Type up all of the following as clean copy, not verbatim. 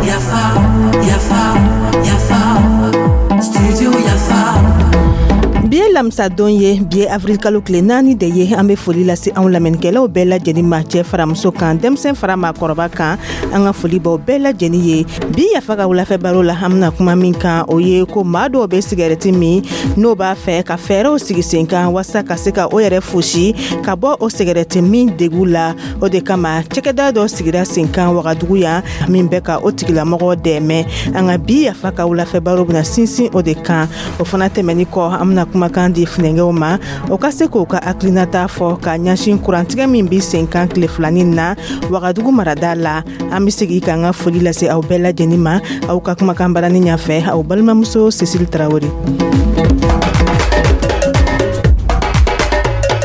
Yafa, yafa, yafa, studio Yafa. Bi ye lamisadon ye, bi ye avril kalo tile 4 de ye. An bɛ foli lase anw lamɛnnikɛlaw bɛɛ lajɛlen ma, cɛ fara muso kan, denmisɛn fara maakɔrɔba kan. An ka foli b'aw bɛɛ lajɛlen ye. Bi Yafa ka wulafɛ baro la, an bɛna kuma min kan, o ye ko maa dɔw bɛ sigɛrɛti min, n'o b'a fɛ ka fɛɛrɛw sigi sen kan walasa ka se ka o yɛrɛ fosi ka bɔ o sigɛrɛti min degu la. O de kama, cakɛda dɔ sigira sen kan Wagadugu yan min bɛ ka o tigilamɔgɔ dɛmɛ. An ka bi Yafa ka wulafɛ baro bɛna sinsin o de kan. O fana tɛmɛni kɔ, an bɛna kumakan di funɛnkɛw ma, o ka se k'o ka hakilinata fɔ ka ɲɛsin kurantigɛ min bi sen kan tile filanin na Wagadugu marada la. An bɛ segin k'an ka foli lase aw bɛɛ lajɛlen ma. Aw ka kumakan barani ɲɛfɛ, aw balimamuso Cécile Tarawele.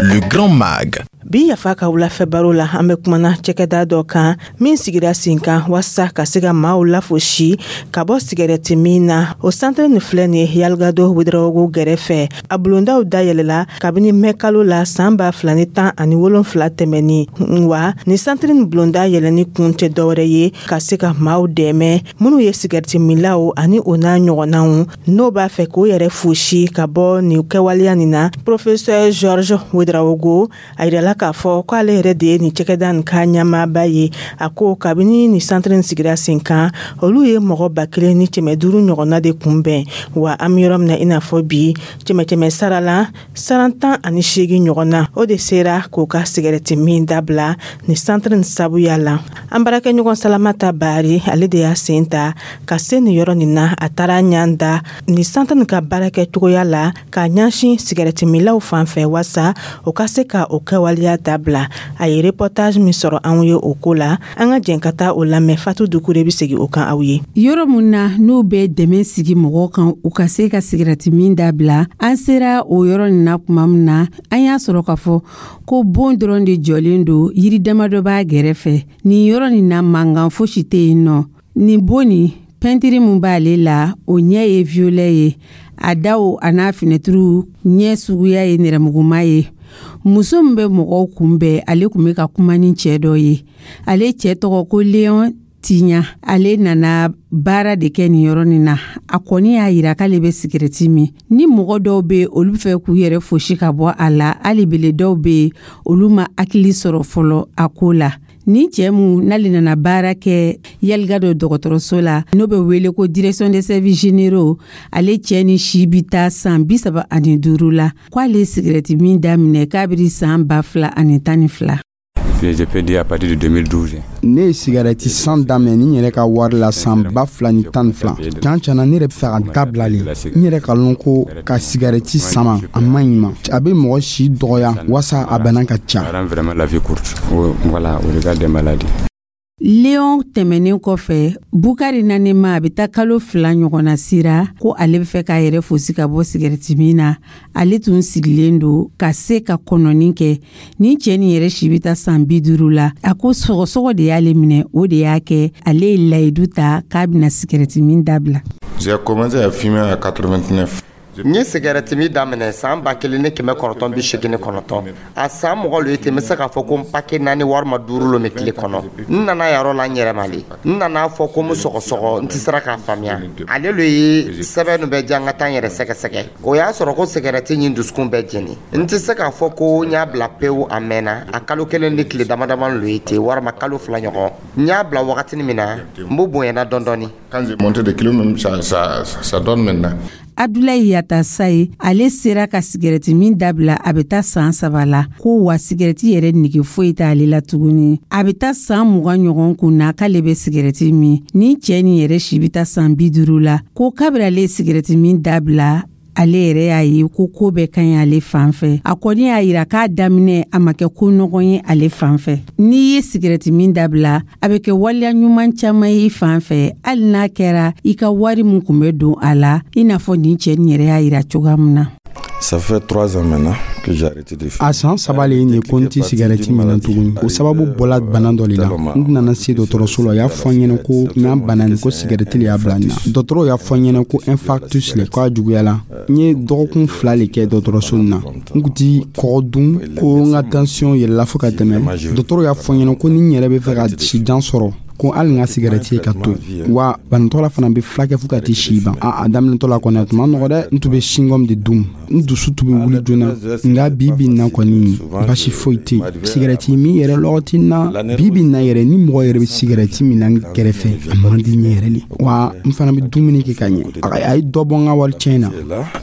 Le Grand Mag. Bi Yafa ka wulafɛ baro la, an bɛ kumana cɛkɛda dɔ kan min sigira sen kan walasa ka se ka maaw lafosi ka bɔ sigɛrɛti min na. O santere nin filɛ nin ye Yalgado Wedarawogo gɛrɛfɛ. A bulondaw dayɛlɛla kabini mɛ kalo la san 2017 tɛmɛni. Wa nin santere nin bulonda yɛlɛni kun tɛ dɔwɛrɛ ye ka se ka maaw dɛmɛ minnu ye sigɛrɛti minlaw ani o n'a ɲɔgɔnnaw, n'o b'a fɛ k'o yɛrɛ fosi ka bɔ nin kɛwaleya nin na. Professeur Georges Wedarawogo, a yirala k'a fɔ k'ale yɛrɛ de ye nin cɛkɛda nin ka ɲɛmaaba ye. A ko kabini nin santiri nin sigira sen kan, olu ye mɔgɔ 1500 ɲɔgɔnna de kunbɛn. Wa an bɛ yɔrɔ min na i n'a fɔ bi, kɛmɛ kɛmɛ sara la, saran 18 ɲɔgɔnna, o de sera k'o ka sigɛrɛti min dabila nin santiri nin sabuya la. An baarakɛɲɔgɔn Salamata Bari, ale de y'a sen ta ka se nin yɔrɔ nin na. A taara ɲan da nin santiri nin ka baarakɛ cogoya la k'a ɲɛsin sigɛrɛtiminlaw fan fɛ, walasa o ka se ka o kɛwaleya dabila. A ye reportage min sɔrɔ anw ye o ko la, an ka jɛn ka taa o lamɛn. Fatu Dukure bɛ segin o kan aw ye. Yɔrɔ mun na n'u bɛ dɛmɛ sigi mɔgɔw kan u ka se ka sigɛrɛti min dabila, an sera o yɔrɔ nin na tuma min na, an y'a sɔrɔ k'a fɔ ko bon dɔrɔn de jɔlen don, yiri damadɔ b'a gɛrɛfɛ. Nin yɔrɔ nin na, mankan fosi tɛ yen nɔ. Nin bon nin, pɛntiri mun b'ale la, o ɲɛ ye violet ye. A daw a n'a finɛtiriw ɲɛ suguya ye nɛrɛmuguma ye. Muso min bɛ mɔgɔw kunbɛn, ale tun bɛ ka kuma ni cɛ dɔ ye. Ale cɛ tɔgɔ ko Leon Tiɲa. Ale nana baara de kɛ nin yɔrɔ nin na. A kɔni y'a yira k'ale bɛ sigɛrɛti min. Ni mɔgɔ dɔw bɛ, olu bɛ fɛ k'u yɛrɛ fosi ka bɔ a la, hali bele dɔw bɛ yen, olu ma hakili sɔrɔ fɔlɔ a ko la. Ni cɛ mun n'ale nana baara kɛ Yaligado dɔgɔtɔrɔso la, n'o bɛ wele ko direction des services généraux, ale cɛ ni si bi taa san 35 la. K'ale ye sigɛrɛti min daminɛ kabiri san 2012. Je peux dire à partir de 2012. Ne ye sigarɛti san daminɛ ni n yɛrɛ ka wari la san 2012. Can cana, ne yɛrɛ bɛ fɛ ka dabila le. N yɛrɛ ka lɔn ko ka sigarɛti sama, a man ɲi ma, a bɛ mɔgɔ si dɔgɔya wasa a bana ka ca. Ça rend vraiment la vie courte. Voilà, au regard des maladies. Leon tɛmɛnen kɔfɛ, Bukari Nanema, a bɛ taa kalo 2 ɲɔgɔnna sira ko ale bɛ fɛ k'a yɛrɛ fosi ka bɔ sigɛrɛti min na. Ale tun sigilen don ka se ka kɔnɔni kɛ. Nin cɛ nin yɛrɛ si bɛ taa san 50 la. A ko sɔgɔsɔgɔ de y'ale minɛ, o de y'a kɛ ale ye layidu ta k'a bɛna sigɛrɛti min dabila. J'ai commencé à fumer à 89. N ye sigɛrɛti min daminɛ san 1989. A san mɔgɔ lo ye ten, n bɛ se k'a fɔ ko n pake naani walima duuru lo min tile kɔnɔ. N nana yɔrɔ la n yɛrɛ ma le, n nana fɔ ko n bɛ sɔgɔsɔgɔ, n tɛ sera k'a faamuya. Ale lo ye sɛbɛn nu bɛɛ diya n ka taa n yɛrɛ sɛgɛsɛgɛ. O y'a sɔrɔ ko sigɛrɛti ɲin dusukun bɛɛ jeni. N tɛ se k'a fɔ ko n y'a bila pewu, a mɛnna. A kalo 1 ni tile dama dama lo ye ten, walima kalo 2 ɲɔgɔn. N y'a bila wagatinin min na, n b'o bonyana dɔɔni dɔɔni. Quand j'ai monté de kilos même, ça, ça, ça donne maintenant. Abdulayi Yatasaye, ale sera ka sigɛrɛti min dabila a bɛ taa san 3 la. Ko wa sigɛrɛti yɛrɛ nege foyi t'ale la tuguni. A bɛ taa san 20 ɲɔgɔn kun na k'ale bɛ sigɛrɛti min. Ni cɛ nin yɛrɛ si bɛ taa san 50 la. Ko kabiri ale ye sigɛrɛti min dabila, ale yɛrɛ y'a ye ko ko bɛɛ ka ɲi ale fan fɛ. A kɔni y'a yira k'a daminɛ, a ma kɛ ko nɔgɔn ye ale fan fɛ. N'i ye sigɛrɛti min dabila, a bɛ kɛ waleya ɲuman caman ye i fan fɛ, hali n'a kɛra i ka wari min kun bɛ don a la, i n'a fɔ nin cɛ nin yɛrɛ y'a yira cogoya min na. Ça fait 3 ans maintenant que j'ai arrêté de fumer. A san 3 le ye nin ye ko n tɛ sigɛrɛti minɛ tuguni. O sababu bɔla bana dɔ de la. N nana se dɔgɔtɔrɔso la, o y'a fɔ n ɲɛna ko n bana nin ko sigɛrɛti le y'a bila n na. Dɔgɔtɔrɔw y'a fɔ n ɲɛna ko infarctus le, k'a juguyala. N ye dɔgɔkun 2 le kɛ dɔgɔtɔrɔso nin na. N kun ti kɔgɔ dun, ko n ka tension yɛlɛla fo ka tɛmɛ. Dɔgɔtɔrɔw y'a fɔ n ɲɛna ko ni n yɛrɛ bɛ fɛ ka si jan sɔrɔ, ko hali n ka sigɛrɛti ye ka to yen, wa banatɔ la fana bɛ fulakɛ fo ka t'i si ban. A daminɛtɔ la kɔni, a tun ma nɔgɔ dɛ. N tun bɛ chewing-gum de dun, n dusu tun bɛ wuli joona. Nka bi bi in na kɔni, basi foyi tɛ yen. Sigɛrɛti min yɛrɛ lɔgɔti na bi bi in na yɛrɛ, ni mɔgɔ yɛrɛ bɛ sigɛrɛti min na n kɛrɛfɛ, a man di n ye yɛrɛ le. Wa n fana bɛ dumuni kɛ ka ɲɛ. A ye dɔ bɔ n ka wari tiɲɛ na.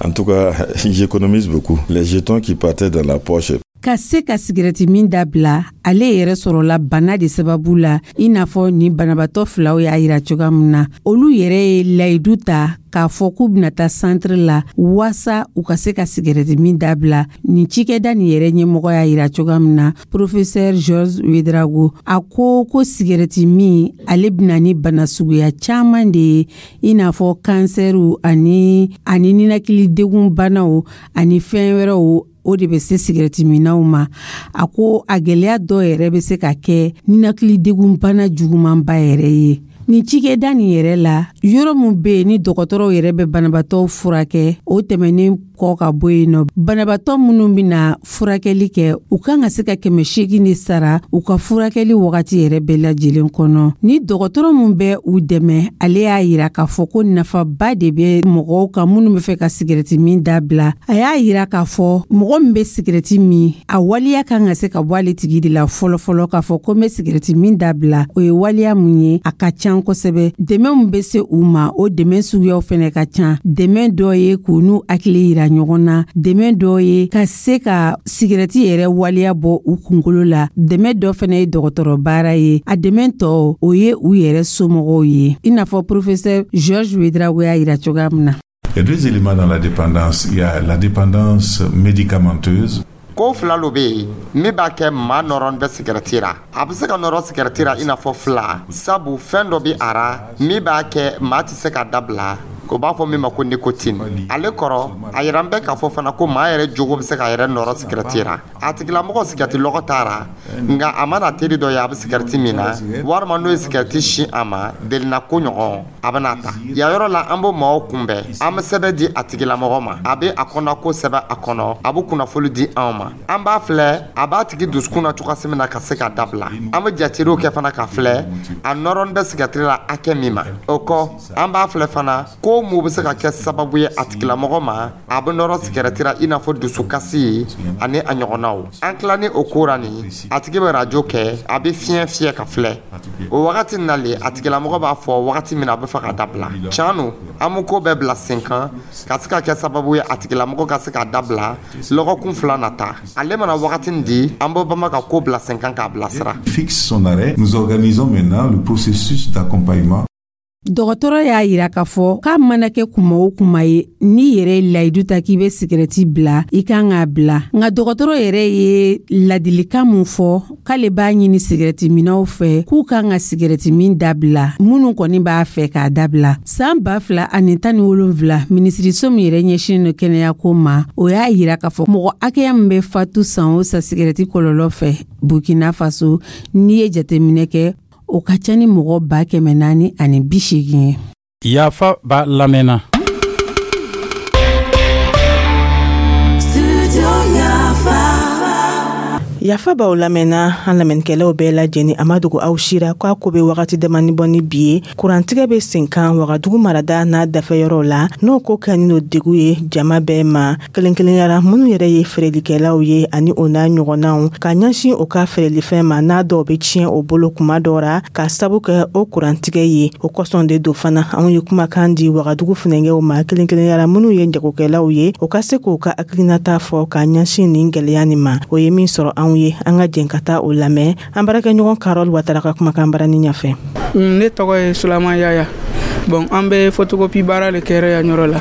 En tout cas, j'économise beaucoup. Les jetons qui partaient dans la poche. Ka se ka sigɛrɛti min dabila, ale yɛrɛ sɔrɔla bana de sababu la, i n'a fɔ ni banabaatɔ filaw y'a yira cogoya min na. Olu yɛrɛ ye layidu ta k'a fɔ k'u bɛna taa santiri la waasa u ka se ka sigɛrɛti min dabila. Nin cikɛda nin yɛrɛ ɲɛmɔgɔ y'a yira cogoya min na, professeur Georges Ouédraogo, a ko ko sigɛrɛti min, ale bɛna ni bana suguya caman de ye, i n'a fɔ kansɛriw ani ninakilidegun banaw ani fɛn wɛrɛw, o de bɛ se sigɛrɛti minnaw ma. A ko a gɛlɛya dɔw yɛrɛ bɛ se ka kɛ ninakilidegun bana jugumanba yɛrɛ ye. Nin cikɛda nin yɛrɛ la, yɔrɔ min bɛ yen ni dɔgɔtɔrɔw yɛrɛ bɛ banabaatɔw furakɛ, o tɛmɛnen kɔ ka bɔ yen nɔ, banabaatɔ minnu bɛna furakɛli kɛ, u kan ka se ka 800 de sara u ka furakɛli wagati yɛrɛ bɛɛ lajɛlen kɔnɔ. Ni dɔgɔtɔrɔ min bɛ u dɛmɛ, ale y'a yira k'a fɔ ko nafaba de bɛ mɔgɔw kan minnu bɛ fɛ ka sigɛrɛti min dabila. A y'a yira k'a fɔ mɔgɔ min bɛ sigɛrɛti min, a waleya kan ka se ka bɔ ale tigi de la fɔlɔfɔlɔ, k'a fɔ ko n bɛ sigɛrɛti min dabila. O ye waleya mun ye? A ka ca kosɛbɛ. Dɛmɛ min bɛ se u ma, o dɛmɛ suguyaw fɛnɛ ka ca. Dɛmɛ dɔ ye k'u n'u hakili yira ɲɔgɔn na, dɛmɛ dɔ ye ka se ka sigɛrɛti yɛrɛ waleya bɔ u kunkolo la, dɛmɛ dɔ fɛnɛ ye dɔgɔtɔrɔ baara ye, a dɛmɛ tɔ, o ye u yɛrɛ somɔgɔw ye, i n'a fɔ professeur Georges Ouédraogo y'a yira cogoya min na. Il y a deux éléments dans la dépendance. Il y a la dépendance médicamenteuse. Ko fila lo bɛ yen min b'a kɛ maa nɔrɔ bɛ sigɛrɛti ra. A bɛ se ka nɔrɔ sigɛrɛti ra i n'a fɔ fila, sabu fɛn dɔ bɛ a ra min b'a kɛ maa tɛ se ka dabila, o b'a fɔ min ma ko nicotine. Ale kɔrɔ, a yira n bɛ k'a fɔ fana ko maa yɛrɛ jogo bɛ se k'a yɛrɛ nɔrɔ sigɛrɛti ra. A tigilamɔgɔ sigɛrɛti lɔgɔ t'a ra, nka a mana teri dɔ ye a bɛ sigɛrɛti min na, walima n'o ye sigɛrɛti sin a ma delina ko ɲɔgɔn, a bɛna ta yan yɔrɔ la. An b'o maaw kunbɛn, an bɛ sɛbɛn di a tigilamɔgɔ ma, a bɛ a kɔnɔ ko sɛbɛn a kɔnɔ, a bɛ kunnafoni di anw ma. An b'a filɛ a b'a tigi dusukun na cogoya min na ka se ka dabila. An bɛ jatew kɛ fana ka filɛ a nɔrɔ bɛ sigɛrɛti la hakɛ min ma. O kɔ, an b'a filɛ fana ko mun bɛ se ka kɛ sababu ye a tigilamɔgɔ ma a bɛ nɔrɔ sigɛrɛti la, i n'a fɔ dusukasi ani a ɲɔgɔnnaw. An tila ni o ko ra nin, a tigi bɛ arajo kɛ, a bɛ fiɲɛ fiyɛ ka filɛ. O wagati nalen, a tigilamɔgɔ b'a fɔ wagati min na a bɛ fɛ ka dabila. Tiɲɛ don, an bɛ ko bɛɛ bila sen kan ka se ka kɛ sababu ye a tigilamɔgɔ ka se ka dabila lɔgɔkun 2 nata. Ale mana wagati di, an bɛ bama ka ko bila sen kan k'a bilasira. Fixe son arrêt. Nous organisons maintenant le processus d'accompagnement. Dɔgɔtɔrɔ y'a yira k'a fɔ k'a mana kɛ kuma o kuma ye, n'i yɛrɛ ye layidu ta k'i bɛ sigɛrɛti bila, i kan k'a bila. Nka dɔgɔtɔrɔ yɛrɛ ye ladilikan mun fɔ, k'ale b'a ɲini sigɛrɛti minɛw fɛ k'u kan ka sigɛrɛti min dabila, minnu kɔni b'a fɛ k'a dabila. San 2017, minisiriso min yɛrɛ ɲɛsinnen don kɛnɛyako ma, o y'a yira k'a fɔ mɔgɔ hakɛya min bɛ fatu san o san sigɛrɛti kɔlɔlɔ fɛ Burkina Faso, n'i ye jateminɛ kɛ, o ka ca ni mɔgɔ 480,000 ye. Yafa b'a lamɛnna. Yafa b'aw lamɛnna, an lamɛnnikɛlaw bɛɛ lajɛlen. A ma dogo aw sira k'a ko bɛ wagati damani bɔ ni bi ye, kurantigɛ bɛ sen kan Wagadugu marada n'a dafɛyɔrɔw la. N'o ko kɛlen don degu ye jama bɛɛ ma, kelen kelenyara minnu yɛrɛ ye feerelikɛlaw ye ani o n'a ɲɔgɔnnaw, ka ɲɛsin o ka feerelifɛn ma, n'a dɔw bɛ tiɲɛ o bolo kuma dɔw ra ka sabu kɛ o kurantigɛ ye. O kosɔn de don fana, anw ye kumakan di Wagadugu funɛnkɛw ma, kelen kelenyara minnu ye jagokɛlaw ye, o ka se k'o ka hakilinata fɔ ka ɲɛsin nin gɛlɛya nin ma. O ye min sɔrɔ anw ye, an ka jɛn ka taa o lamɛn an baarakɛɲɔgɔn Karol Watara ka kumakan barani ɲɛfɛ. Ne tɔgɔ ye Sulaiman Yaya. Bon, an bɛ photocopie baara de kɛra yan yɔrɔ la.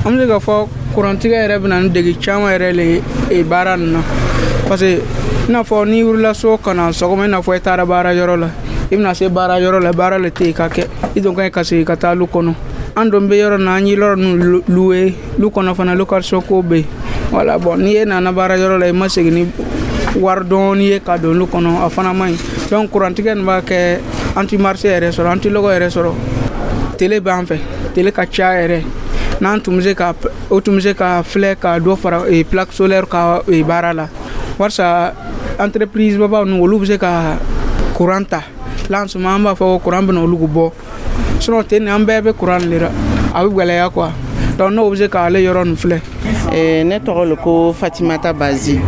An bɛ se k'a fɔ kurantigɛ yɛrɛ bɛ na ni degi caman yɛrɛ le ye baara nin na, parce que i n'a fɔ n'i wulila so ka na sɔgɔma, i n'a fɔ i taara baara yɔrɔ la, i bɛna se baara yɔrɔ la, baara le tɛ yen ka kɛ, i don ka ɲi ka segin ka taa lu kɔnɔ. An don bɛ yɔrɔ na, an ye yɔrɔ ninnu louer, lu kɔnɔ fana location ko bɛ yen. Voilà, bon, n'i ye nana baara yɔrɔ la, i ma segin ni wari dɔɔni ye ka don olu kɔnɔ, a fana man ɲi. Donc kurantigɛ nin b'a kɛ an ti marché yɛrɛ sɔrɔ, an ti lɔgɔ yɛrɛ sɔrɔ. Télé b'an fɛ, télé ka ca yɛrɛ. N'an tun bɛ se ka, o tun bɛ se ka filɛ ka dɔ fara plaque solaire ka baara la, walasa entreprise babaw ninnu, olu bɛ se ka courant ta. Là, en ce moment, an b'a fɔ ko courant bɛna olu bɔ, sinon ten an bɛɛ bɛ courant de la, a bɛ gɛlɛya quoi. Donc n'o bɛ se k'ale yɔrɔ nin filɛ. Ne tɔgɔ le ko Fatimata Bazi.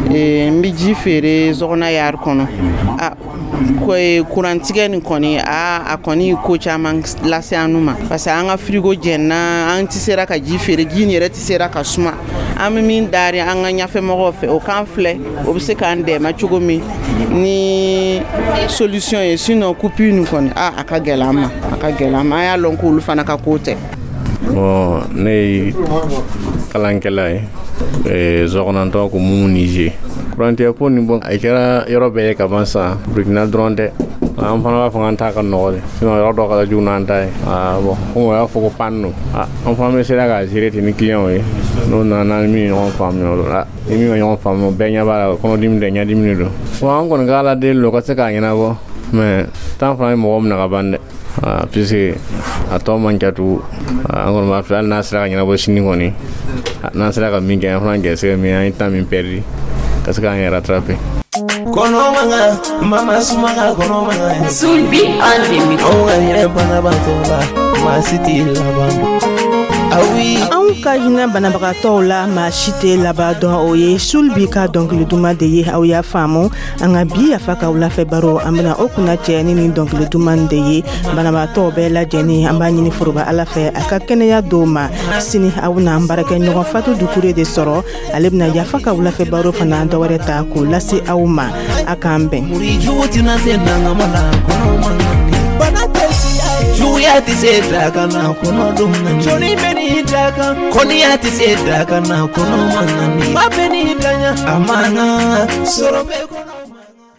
N bɛ ji feere Zɔgɔna yari kɔnɔ. A kurantigɛ nin kɔni, a kɔni ko caman lase an ma, parce que an ka frigo jɛnna, an tɛ sera ka ji feere, ji nin yɛrɛ tɛ sera ka suma. An bɛ min dari an ka ɲɛfɛmɔgɔw fɛ, o k'an filɛ, o bɛ se k'an dɛmɛ cogo min ni solution ye. Sinon coupure nin kɔni, a ka gɛlɛn an ma, a ka gɛlɛn an ma. An y'a lɔn k'olu fana ka ko tɛ. Bon, ne ye kalankɛla ye, Zɔgɔnantɔ ko menuisier. Kurantigɛ ko nin, bon, a kɛra yɔrɔ bɛɛ ye ka ban sisan, Burukina dɔrɔn tɛ. An fana b'a fɔ k'an ta ka nɔgɔ de, sinon yɔrɔ dɔ ka jugu n'an ta ye. Bon, komi o y'a fɔ ko panne don, an fana bɛ sera k'a gérer ten ni client ye. N'o nana, ni min ye ɲɔgɔn faamuya o la, ni min ma ɲɔgɔn faamu, bɛɛ ɲɛ b'a la, kɔnɔdimi tɛ, ɲɛdimi de don. Bon, an kɔni ka Ala deli o ka se k'a ɲɛnabɔ, mais temps fana ye mɔgɔ minɛ ka ban dɛ, puisque a tɔ man ca tugun. An kɔni b'a filɛ, hali n'a sera ka ɲɛnabɔ sini kɔni, n'an sera ka min kɛ, an fana gɛrɛsɛgɛ min, an ye temps min perdu, ka se k'an yɛrɛ rattraper. Kɔnɔmaga mama sumaga kɔnɔmaga Sulbi unlimited. Anw ka hinɛ banabaatɔ la, maa si t'i laban dɔn. Anw ka hinɛ banabagatɔw la, maa si tɛ laban dɔn. O ye Sulbi ka dɔnkili duman de ye. Aw y'a faamu, an ka bi Yafa ka wulafɛ baro, an bena o kunna cɛ ni nin dɔnkili duman de ye. Banabagatɔw bɛɛ lajɛlen, an b'a ɲini foroba Ala fɛ, a ka kɛnɛya dɔw ma. Sini, aw bena an baarakɛ ɲɔgɔn Fatu Dukure de sɔrɔ. Ale bena Yafa ka wulafɛ baro fana dɔwɛrɛ ta k'o lase aw ma. A k'an bɛn. Jugu tɛna se dangama la, kɔnɔ bana tɛ siya ye, juguya tɛ se daga na, kɔnɔ dun jɔnni bɛ n'i da kan, kɔniya tɛ se daga na, kɔnɔ man ba bɛ n'i daɲa, a man kan sɔrɔ bɛ kɔnɔ.